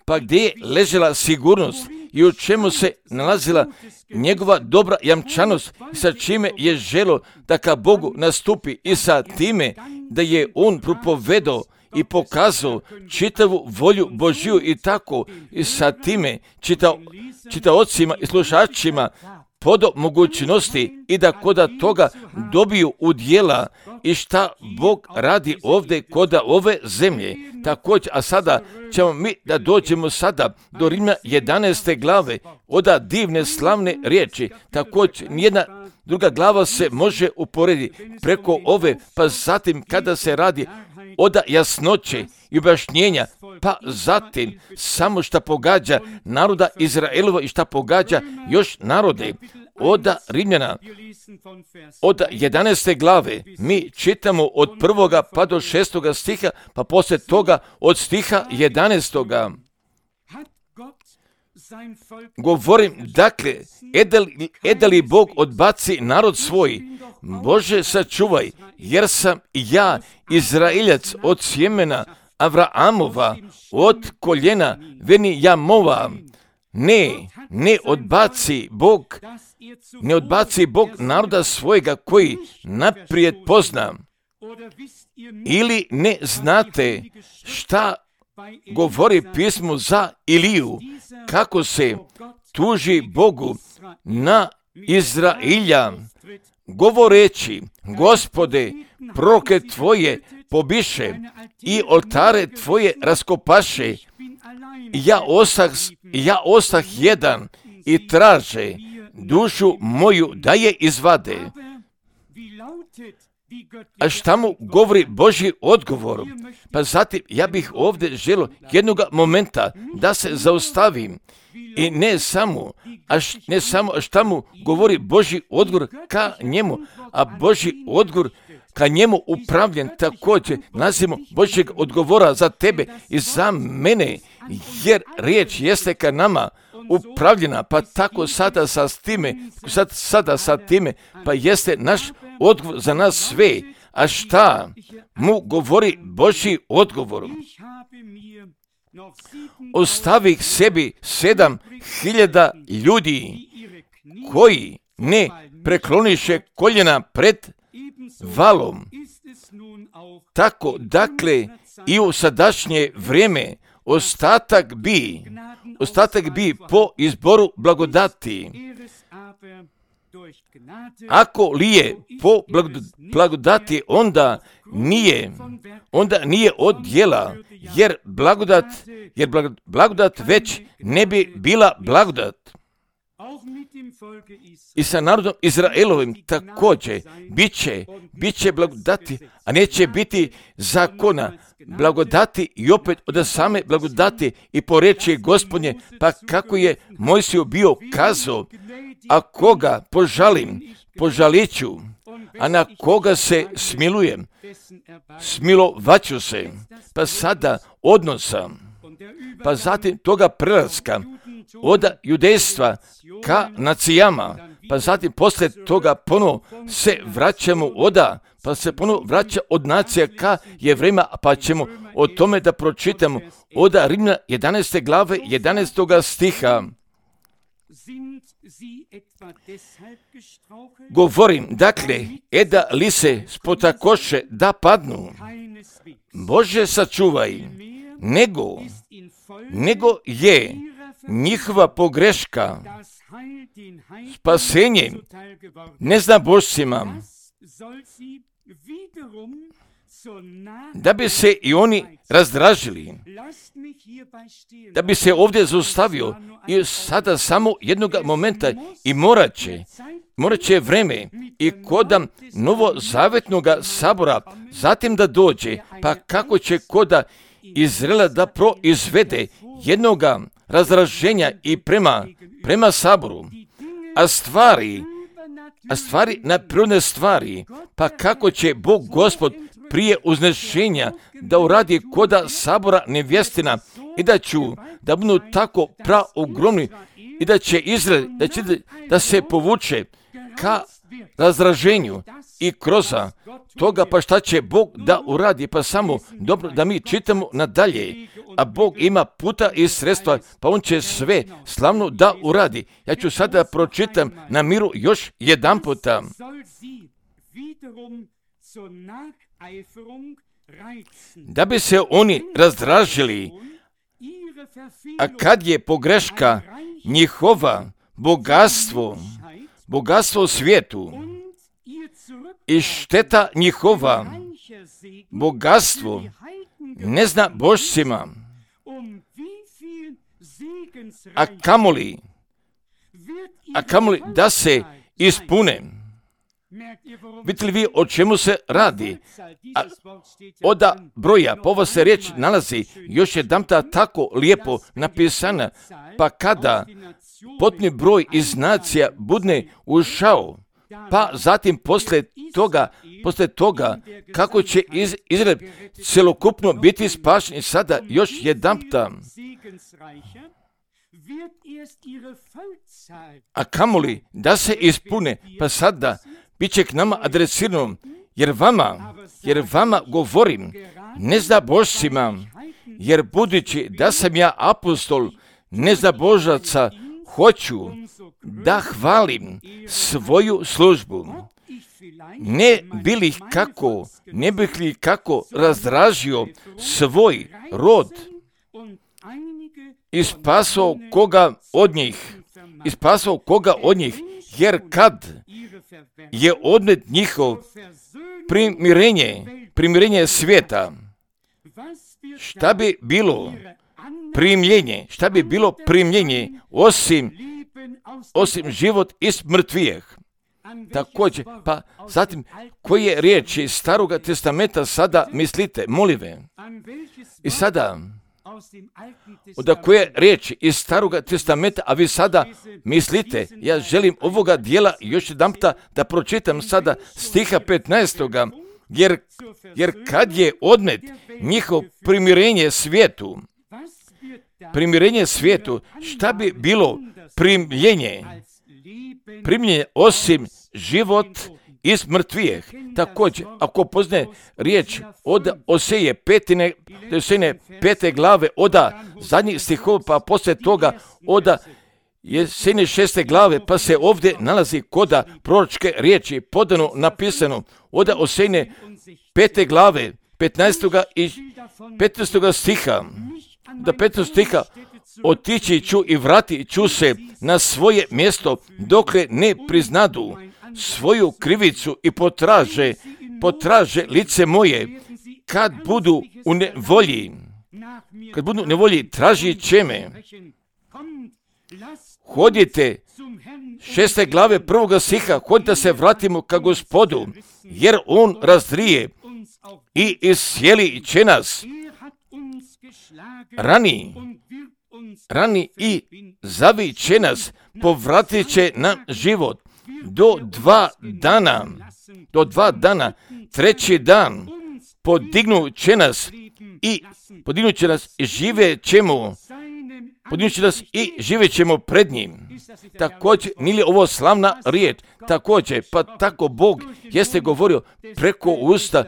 A: Pa gdje je ležela sigurnost i u čemu se nalazila njegova dobra jamčanost, sa čime je želo da ka Bogu nastupi i sa time da je on propovedao i pokazao čitavu volju Božju i tako i sa time čita, čitaocima i slušačima podo mogućnosti i da koda toga dobiju udjela i šta Bog radi ovdje koda ove zemlje. Također, a sada ćemo mi da dođemo sada do Rimljana jedanaeste glave, oda divne slavne riječi. Također, nijedna druga glava se može uporediti preko ove, pa zatim kada se radi oda jasnoće i objašnjenja, pa zatim samo šta pogađa naroda Izraelova i šta pogađa još narode. Oda Rimljana, od jedanaeste glave, mi čitamo od prvoga pa do šestoga stiha, pa poslije toga od stiha jedanaestoga. Govorim, dakle, edeli, edeli Bog odbaci narod svoj, Bože sačuvaj, jer sam ja Izraeljac od sjemena Avraamova, od koljena Venijamova. Ne, ne odbaci Bog, ne odbaci Bog naroda svojega koji naprijed pozna. ili ne znate šta govori pismo za Iliju, kako se tuži Bogu na Izrailja, govoreći: Gospode, proroke tvoje pobiše i oltare tvoje raskopaše. Ja ostah, ja ostah jedan i traže dušu moju da je izvade. A šta mu govori Božji odgovor? Pa zatim ja bih ovdje želio jednog momenta da se zaustavim i ne samo, a š, ne samo a šta mu govori Božji odgovor ka njemu, a Božji odgovor ka njemu upravljen također nazivamo Božjeg odgovora za tebe i za mene, jer riječ jeste ka nama upravljena, pa tako sada sa time, sad, sada sa time, pa jeste naš odgovor za nas sve. A šta mu govori Božji odgovor? Ostavih sebi sedam hiljada ljudi koji ne prekloniše koljena pred valom. Tako, dakle, i u sadašnje vrijeme ostatak bi, ostatak bi po izboru blagodati. Ako li je po blagodati, onda nije, onda nije od djela, jer blagodat, jer blagodat već ne bi bila blagodat. I sa narodom Izraelovim također bit će, bit će blagodati, a neće biti zakona. Blagodati i opet od same blagodati i po reči Gospodnje, pa kako je Mojsiju bio kazao: a koga požalim, požalit ću, a na koga se smilujem, smilovaću se. Pa sada odnosa, pa zatim toga prelaska od judejstva ka nacijama, pa zatim poslije toga ponovo se vraćamo oda, pa se ponovo vraća od nacija ka Jevrejima, pa ćemo o tome da pročitamo od Rimljana jedanaeste glave jedanaestoga stiha. Govorim, dakle, eda li se spotakoše da padnu? Bože sačuvaj, nego, nego je njihova pogreška spasenje neznabošcima, da bi se i oni razdražili. Da bi se ovdje zaustavio i sada samo jednog momenta i morat će, morat će vreme i koda novozavetnog sabora zatim da dođe, pa kako će koda Izraela da proizvede jednoga razraženja i prema, prema saboru, a stvari, a stvari na prirodne stvari, pa kako će Bog Gospod prije uznešenja da uradi koda sabora nevjestina i da ću da budu tako praogromni i da će Izrael, da će da se povuče ka razraženju i kroz toga, pa šta će Bog da uradi? Pa samo dobro da mi čitamo nadalje, a Bog ima puta i sredstva, pa on će sve slavno da uradi. Ja ću sada pročitam na miru još jedan puta. Da bi se oni razdražili, a kad je pogreška njihova bogatstvo, bogatstvo u svijetu i šteta njihova, bogatstvo ne zna božcima, a kamoli, a kamoli da se ispune. Vidite li vi o čemu se radi? A od broja, pa ova se riječ nalazi još jedanputa tako lijepo napisana, pa kada potpuni broj iz nacija budne ušao, pa zatim poslije toga, poslije toga kako će iz, Izrael celokupno biti spašen, sada još jedanputa. A kamoli da se ispune, pa sada bit će k nama adresirano, jer vama, jer vama govorim, ne za božcima, jer budući da sam ja apostol, ne za božaca, hoću da hvalim svoju službu. ne bili ih kako, ne bih li kako razdražio svoj rod i spasao koga od njih, i spasao koga od njih, jer kad je odnet njihov primirenje, primirenje svijeta, šta bi bilo primljenje, šta bi bilo primljenje osim, osim život iz mrtvijeh. Također, pa zatim, koje riječi Staroga testamenta sada mislite, molive? I sada, od koje riječi iz Staroga testamenta, a vi sada mislite, ja želim ovoga dijela još jedan puta da pročitam sada stiha petnaestoga, jer, jer kad je odnet njihov primirenje svijetu, primirenje svijetu, šta bi bilo primljenje, primljenje osim život iz mrtvijeh. Također, ako poznaje riječ od Oseje petine, Osejine pete glave, oda zadnjih stihova, pa poslije toga oda Jesejine šeste glave, pa se ovdje nalazi koda proročke riječi podano, napisano, oda Osejine pete glave, petnaestoga i petnaestoga stiha, da petnaestog stiha, otići ću i vratit ću se na svoje mjesto dokle ne priznadu svoju krivicu i potraže, potraže lice moje, kad budu u nevolji, kad budu u nevolji, tražit će me. Hodite, šeste glave prvoga stiha, hodite da se vratimo ka Gospodu, jer on razdrije i iscijeli će nas. Rani, rani i zaviće nas, povratit će na život. Do dva dana, do dva dana, treći dan, podignut će nas i podignut će nas i žive ćemo, podignut će nas i žive ćemo pred njim. Također, nije li ovo slavna riječ? Također, pa tako Bog jeste govorio preko usta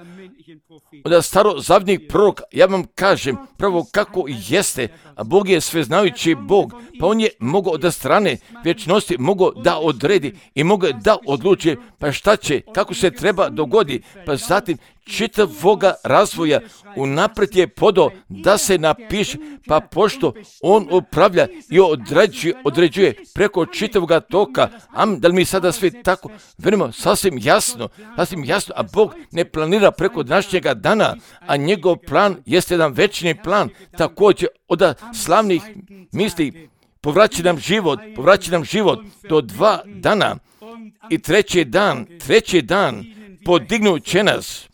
A: od starozavjetnih proroka. Ja vam kažem pravo kako jeste, a Bog je sveznajući Bog, pa on je mogao od strane vječnosti, mogao da odredi i mogao da odluči pa šta će, kako se treba dogodi, pa zatim čitavoga razvoja unaprijed je podao da se napiše, pa pošto on upravlja i određuje, određuje preko čitavoga toka, am, da li mi sada svi tako verimo sasvim jasno, sasvim jasno, a Bog ne planira preko današnjega dana, a njegov plan jeste jedan večni plan, također od slavnih misli, povraća nam život, povraća nam život do dva dana i treći dan, treći dan podignut će nas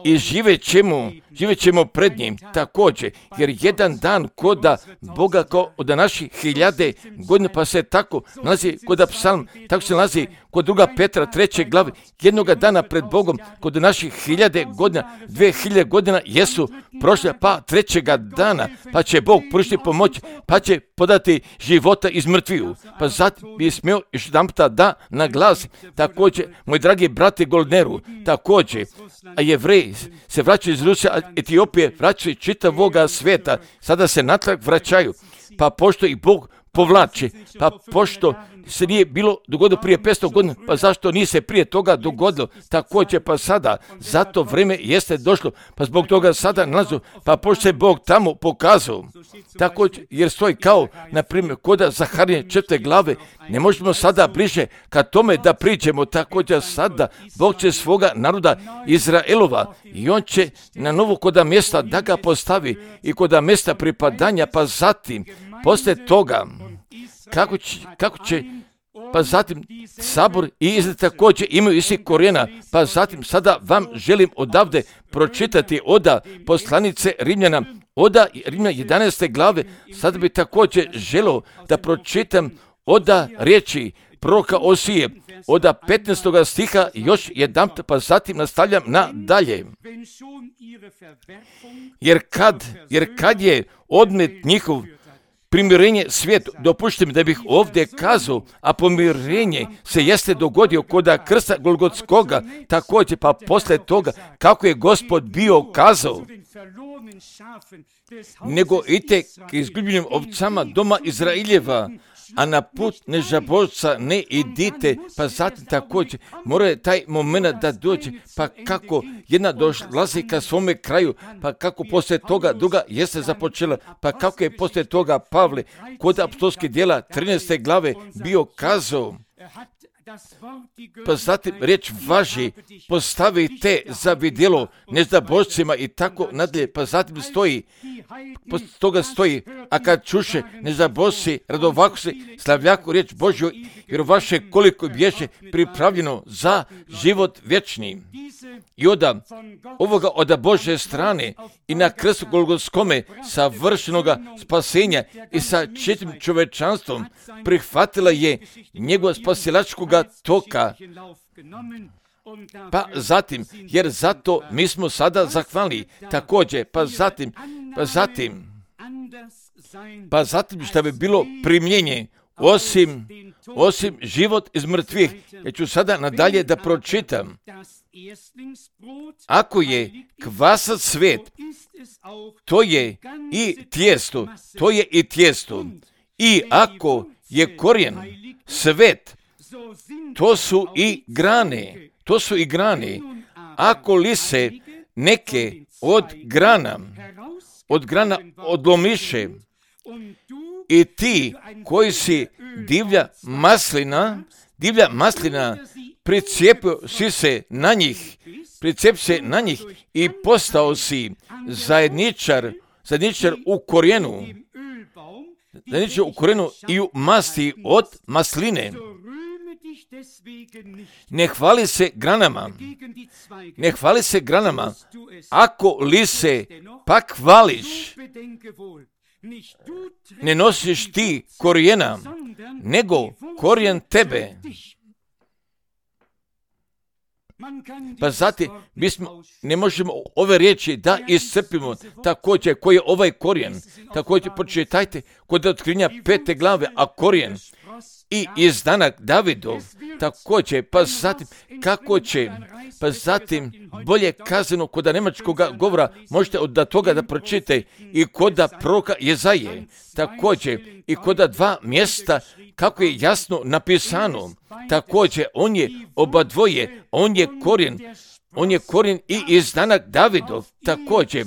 A: i živet ćemo, živet ćemo pred njim također, jer jedan dan koda Boga kao od naših hiljade godina, pa se tako nalazi kod psalm, tako se nalazi kod druga Petra treće glave, jednoga dana pred Bogom kod naših hiljade godina, dvije hiljade godina jesu prošle, pa trećega dana, pa će Bog pružiti pomoć, pa će podati života iz mrtviju. Pa zatim bi smio još jedan puta da naglasi, također, moj dragi brate Goldneru, također, a Jevreji se vraćaju iz Rusije, Etiopije, vraćaju čitavoga svijeta, sada se natrag vraćaju, pa pošto i Bog povlači, pa pošto se nije bilo dogodilo prije petsto godina, pa zašto nije se prije toga dogodilo, također pa sada, zato vrijeme jeste došlo, pa zbog toga sada nalazu, pa pošto se Bog tamo pokazao, također, jer stoji kao, na primjer, koda Zaharije četvrte glave, ne možemo sada bliže ka tome da priđemo, također sada Bog će svoga naroda Izraelova i on će na novo koda mjesta da ga postavi i koda mjesta pripadanja, pa zatim, poslije toga, kako će, kako će pa zatim sabor i Izrael također imaju isti korijena, pa zatim sada vam želim odavde pročitati oda poslanice Rimljana, oda Rimljana jedanaeste glave, sada bi također želio da pročitam oda riječi proroka Osije, oda petnaestoga stiha još jedan, pa zatim nastavljam na dalje. Jer kad, jer kad je odnet njihov primirenje svijetu, dopuštim da bih ovdje kazao, a pomirenje se jeste dogodio koda krsta Golgotskoga, također pa poslije toga kako je Gospod bio kazao, nego idite k izgubljenim ovcama doma Izraeljeva, a na put nežabožca ne idite, pa zatim također mora taj moment da dođe, pa kako jedna dolazi ka svome kraju, pa kako poslije toga druga jeste započela, pa kako je poslije toga Pavle kod apostolskih djela trinaeste glave bio kazao, pa zatim riječ važi, postavite za vidjelo nezabožcima i tako nadalje, pa zatim stoji, poslije toga stoji, a kad čuše nezabožci, radovako se slavljaku riječ Božju, jer vaše koliko bješe pripravljeno za život vječni. I onda ovoga od Božje strane i na krstu Golgotskome savršenoga spasenja i sa čitavim čovečanstvom prihvatila je njegova spasilačkoga toka. Pa zatim, jer zato mi smo sada zahvalni, također, pa zatim, pa zatim, pa zatim što bi bilo primljenje, osim, osim život iz mrtvih. Ja ću sada nadalje da pročitam. Ako je kvasac svet, to je i tijesto, to je i tijesto. I ako je korijen svet, to su i grane, to su i grane. Ako li se neke od grana, od grana odlomiše, i ti koji si divlja maslina, divlja maslina, pricijepio si se na njih, pricijep se na njih i postao si zajedničar, zajedničar u korijenu, zajedničar u korijenu i u masti od masline. Ne hvali se granama, ne hvali se granama, ako li se pak hvališ, ne nosiš ti korijena, nego korijen tebe. Pa zatim, mi smo, ne možemo ove riječi da iscrpimo, također koji je ovaj korijen. Također pročitajte kod otkrivenja pete glave, a korijen i izdanak Davidov, također, pa zatim, kako će, pa zatim, bolje kazano kod nemačkog govora, možete od toga da pročitate i kod proroka Jezaje, također, i kod dva mjesta, kako je jasno napisano, također, on je oba dvoje, on je korijen, on je korijen i izdanak Davidov, također,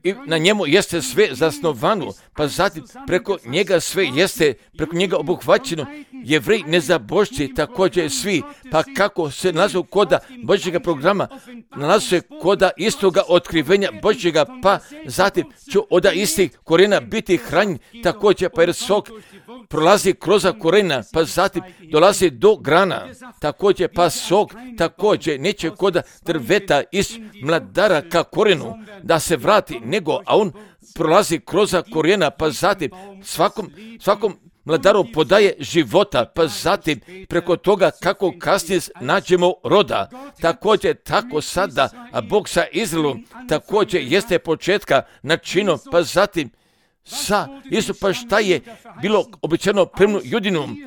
A: i na njemu jeste sve zasnovano, pa zatim preko njega sve jeste, preko njega obuhvaćeno, Jevreji nezabožci, također svi, pa kako se nalazu koda Božjega programa, nalazu se koda istoga otkrivenja Božjega, pa zatim ću od istih korijena biti hranjen, također pa jer sok prolazi kroz korijena, pa zatim dolazi do grana, također pa sok, također neće koda drveta iz mladara ka korijenu da se vrati, nego, a on prolazi kroz korijena, pa zatim svakom, svakom mladaru podaje života, pa zatim preko toga kako kasnije nađemo roda. Također tako sada, a Bog sa Izraelom također jeste početka načino, pa zatim sa Isu, pa šta je bilo obećano prema judinom,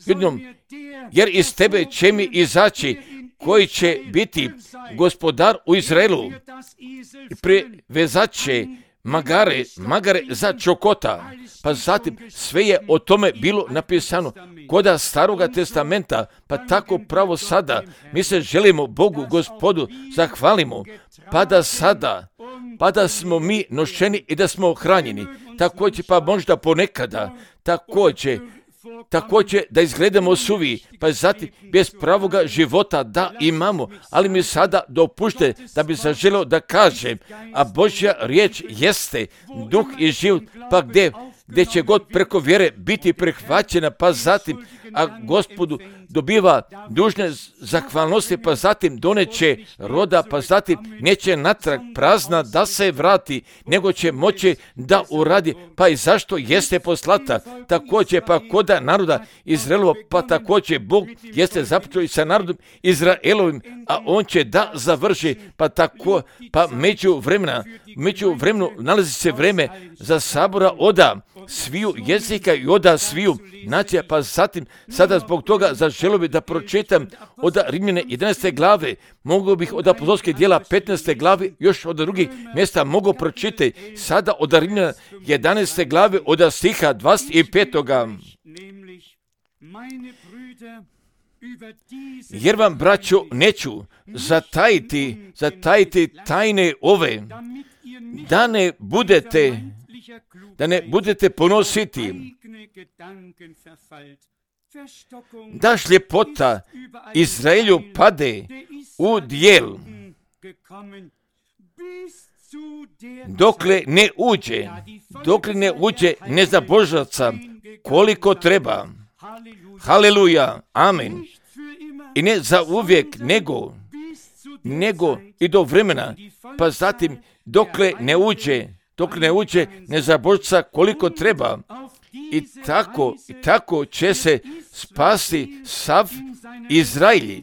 A: judinom, jer iz tebe će mi izaći koji će biti gospodar u Izraelu i privezat će magare, magare za čokota. Pa zatim sve je o tome bilo napisano koda Staroga testamenta, pa tako pravo sada mi se želimo Bogu, Gospodu, zahvalimo, pa da sada, pa da smo mi nošeni i da smo hranjeni, također pa možda ponekada, također, također da izgledamo suvi, pa zatim bez pravoga života da imamo, ali mi sada dopušte da bi se želio da kažem, a Božja riječ jeste duh i život, pa gdje, gdje će god preko vjere biti prihvaćena, pa zatim, a Gospodu dobiva dužne zahvalnosti, pa zatim doneće roda, pa zatim neće natrag prazna da se vrati, nego će moći da uradi, pa i zašto jeste poslata, također pa koda naroda Izraelova, pa također Bog jeste započeo i sa narodom Izraelovim, a on će da završi, pa tako, pa među vremena, među vremenu nalazi se vreme za sabora oda sviju jezika i oda sviju nacija, pa zatim sada zbog toga zaželio bih da pročitam od Rimljane jedanaeste glave, mogu bih od apostolskih djela petnaeste glave, još od drugih mjesta mogu pročitati, sada od Rimljana jedanaeste glave od stiha dvadeset pet. Jer vam, braćo, neću zatajiti, zatajiti tajne ove, da ne budete, da ne budete ponositi, da šljepota Izraelju pade u dijel, dokle ne uđe, dokle ne uđe nezabožaca koliko treba. Haleluja, amen. I ne za uvijek, nego, nego i do vremena, pa zatim dokle ne uđe, dokle ne uđe nezabožaca koliko treba. I tako, i tako će se spasti sav Izraelj.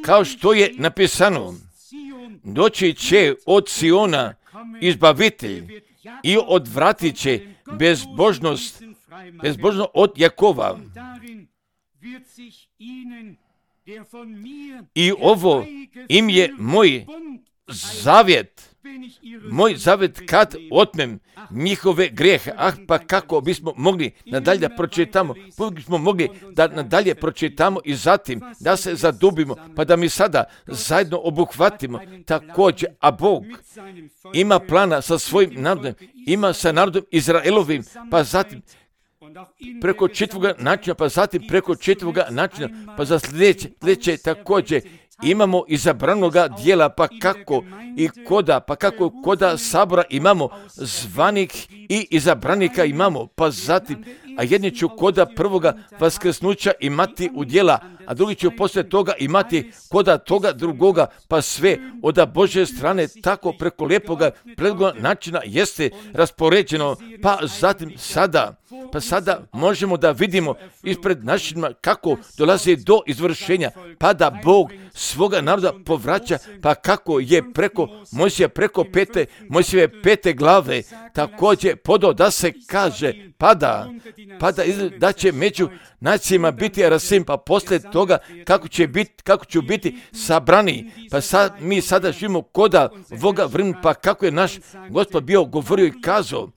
A: Kao što je napisano, doći će od Siona izbavitelj i odvratit će bezbožnost, bezbožnost od Jakova. I ovo im je moj zavjet, moj zavjet kad otmem njihove grijehe. Ah, pa kako bismo mogli nadalje da pročitamo, bismo mogli da nadalje pročitamo i zatim da se zadubimo, pa da mi sada zajedno obuhvatimo također, a Bog ima plana sa svojim narodom, ima sa narodom Izraelovim, pa zatim preko čitavoga načina, pa zatim preko čitavoga načina, pa za sljedeće, sljedeće također imamo izabranoga dijela, pa kako i koda, pa kako koda sabora imamo zvanih i izabranika imamo, pa zatim, a jedni ću koda prvoga vaskrsnuća imati u dijela, a drugi ću poslije toga imati koda toga drugoga, pa sve od Božje strane tako preko lijepoga predloga načina jeste raspoređeno, pa zatim sada, pa sada možemo da vidimo ispred našima kako dolazi do izvršenja, pa da Bog svoga naroda povraća, pa kako je preko Mojsija, preko pete, Mojsijeve pete glave, također podo da se kaže, pada, pada da će među nacijama biti rasim, pa poslije toga kako će biti, kako će biti sabrani, pa sad, mi sada živimo koda voga vremena, pa kako je naš Gospod bio govorio i kazao,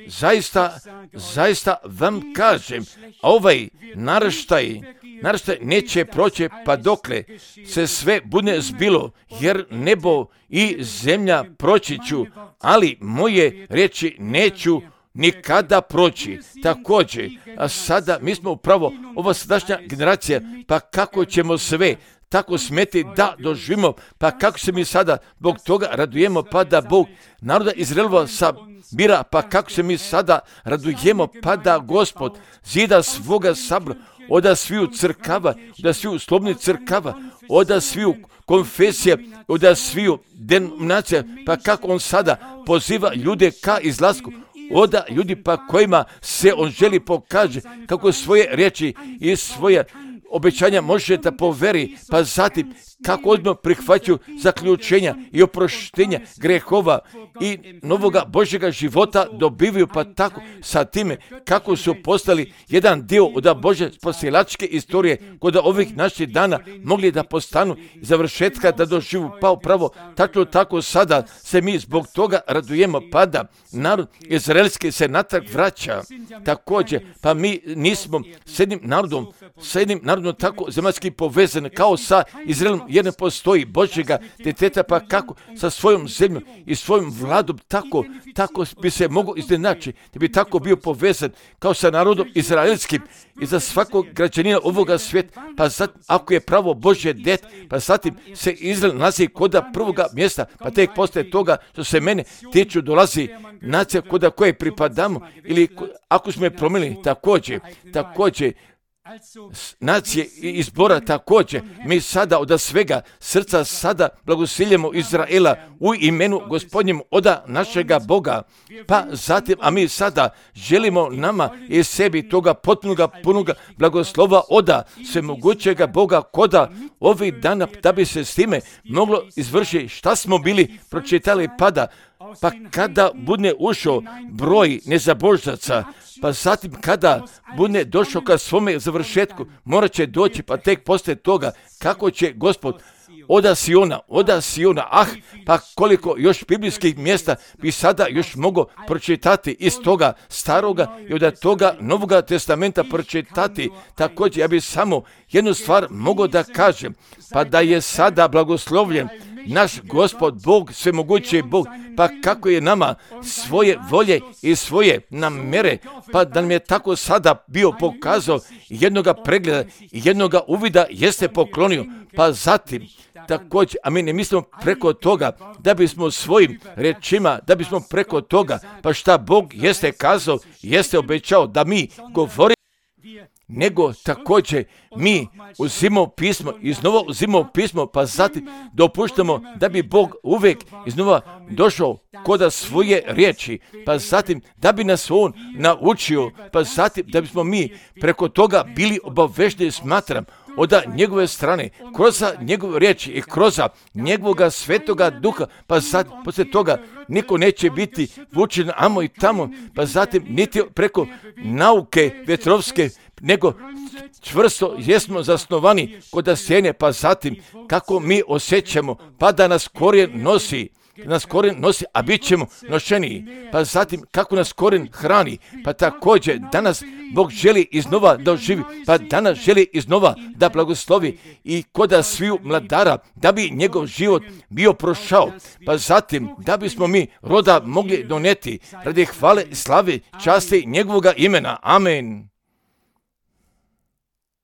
A: zaista, zaista vam kažem, ovaj naraštaj, naraštaj neće proći pa dokle se sve bude zbilo, jer nebo i zemlja proći ću, ali moje riječi neću nikada proći. Također, a sada mi smo upravo ova sadašnja generacija, pa kako ćemo sve tako smeti da doživimo, pa kako se mi sada zbog toga radujemo, pa da Bog naroda Izraelova sabira, pa kako se mi sada radujemo, pa da Gospod zida svoga sabora, oda sviju crkava, oda sviju slobodnih crkava, oda sviju konfesija, oda sviju denominacija, pa kako on sada poziva ljude ka izlasku, oda ljudi pa kojima se on želi pokaže kako svoje riječi i svoje obećanja može da poveri, pa zatim kako odmah prihvaćaju zaključenja i oproštenja grehova i novoga Božjega života dobivaju, pa tako sa time kako su postali jedan dio od Božje spasilačke istorije kod ovih naših dana mogli da postanu završetka da doživu, pa upravo tako tako sada se mi zbog toga radujemo, pa da narod izraelski se natrag vraća također, pa mi nismo s jednim narodom, s jednim narodom tako zemaljski povezani kao sa Izraelom, jer ne postoji Božjega djeteta, pa kako sa svojom zemljom i svojom vladom tako, tako bi se mogao iznenaći, da bi tako bio povezan kao sa narodom izraelskim i za svakog građanina ovoga svijeta, pa zatim, ako je pravo Božje djet, pa zatim se Izrael nalazi koda prvoga mjesta, pa tek poslije toga što se mene tiču dolazi nacija koda koje pripadamo, ili ako smo je promijenili također, također, nacije i izbora također, mi sada od svega srca sada blagosiljemo Izraela u imenu Gospodnjem oda našega Boga, pa zatim, a mi sada želimo nama i sebi toga potpunoga punoga blagoslova oda svemogućega Boga koda ovih dana, da bi se s time moglo izvršiti šta smo bili pročitali, pada, pa kada bude ušao broj nezabožaca, pa zatim kada bude došao ka svome završetku, morat će doći, pa tek poslije toga kako će Gospod oda Siona, oda Siona, ah, pa koliko još biblijskih mjesta bi sada još mogo pročitati iz toga staroga i od toga Novoga testamenta pročitati. Također ja bi samo jednu stvar mogao da kažem, pa da je sada blagoslovljen naš Gospod Bog, svemogući Bog, pa kako je nama svoje volje i svoje namere, pa da nam je tako sada bio pokazao jednoga pregleda i jednoga uvida jeste poklonio, pa zatim također, a mi ne mislimo preko toga da bismo svojim rečima, da bismo preko toga, pa šta Bog jeste kazao, jeste obećao da mi govorimo, nego također mi uzimamo pismo, iznova uzimamo pismo, pa zatim dopuštamo da bi Bog uvijek iznova došao koda svoje riječi, pa zatim da bi nas On naučio, pa zatim da bismo mi preko toga bili obavešteni, smatram, od njegove strane, kroz njegove riječi i kroz njegovoga svetoga duha, pa zatim poslije toga niko neće biti vučen amo i tamo, pa zatim niti preko nauke vjetrovske, nego čvrsto jesmo zasnovani kod sjene, pa zatim kako mi osjećamo, pa da nas korijen nosi, nas korijen nosi, a bit ćemo nošeniji, pa zatim kako nas korijen hrani, pa također danas Bog želi iznova da oživi, pa danas želi iznova da blagoslovi i koda sviju mladara, da bi njegov život bio prošao, pa zatim da bismo mi roda mogli doneti radi hvale, slave, časti njegovoga imena. Amen.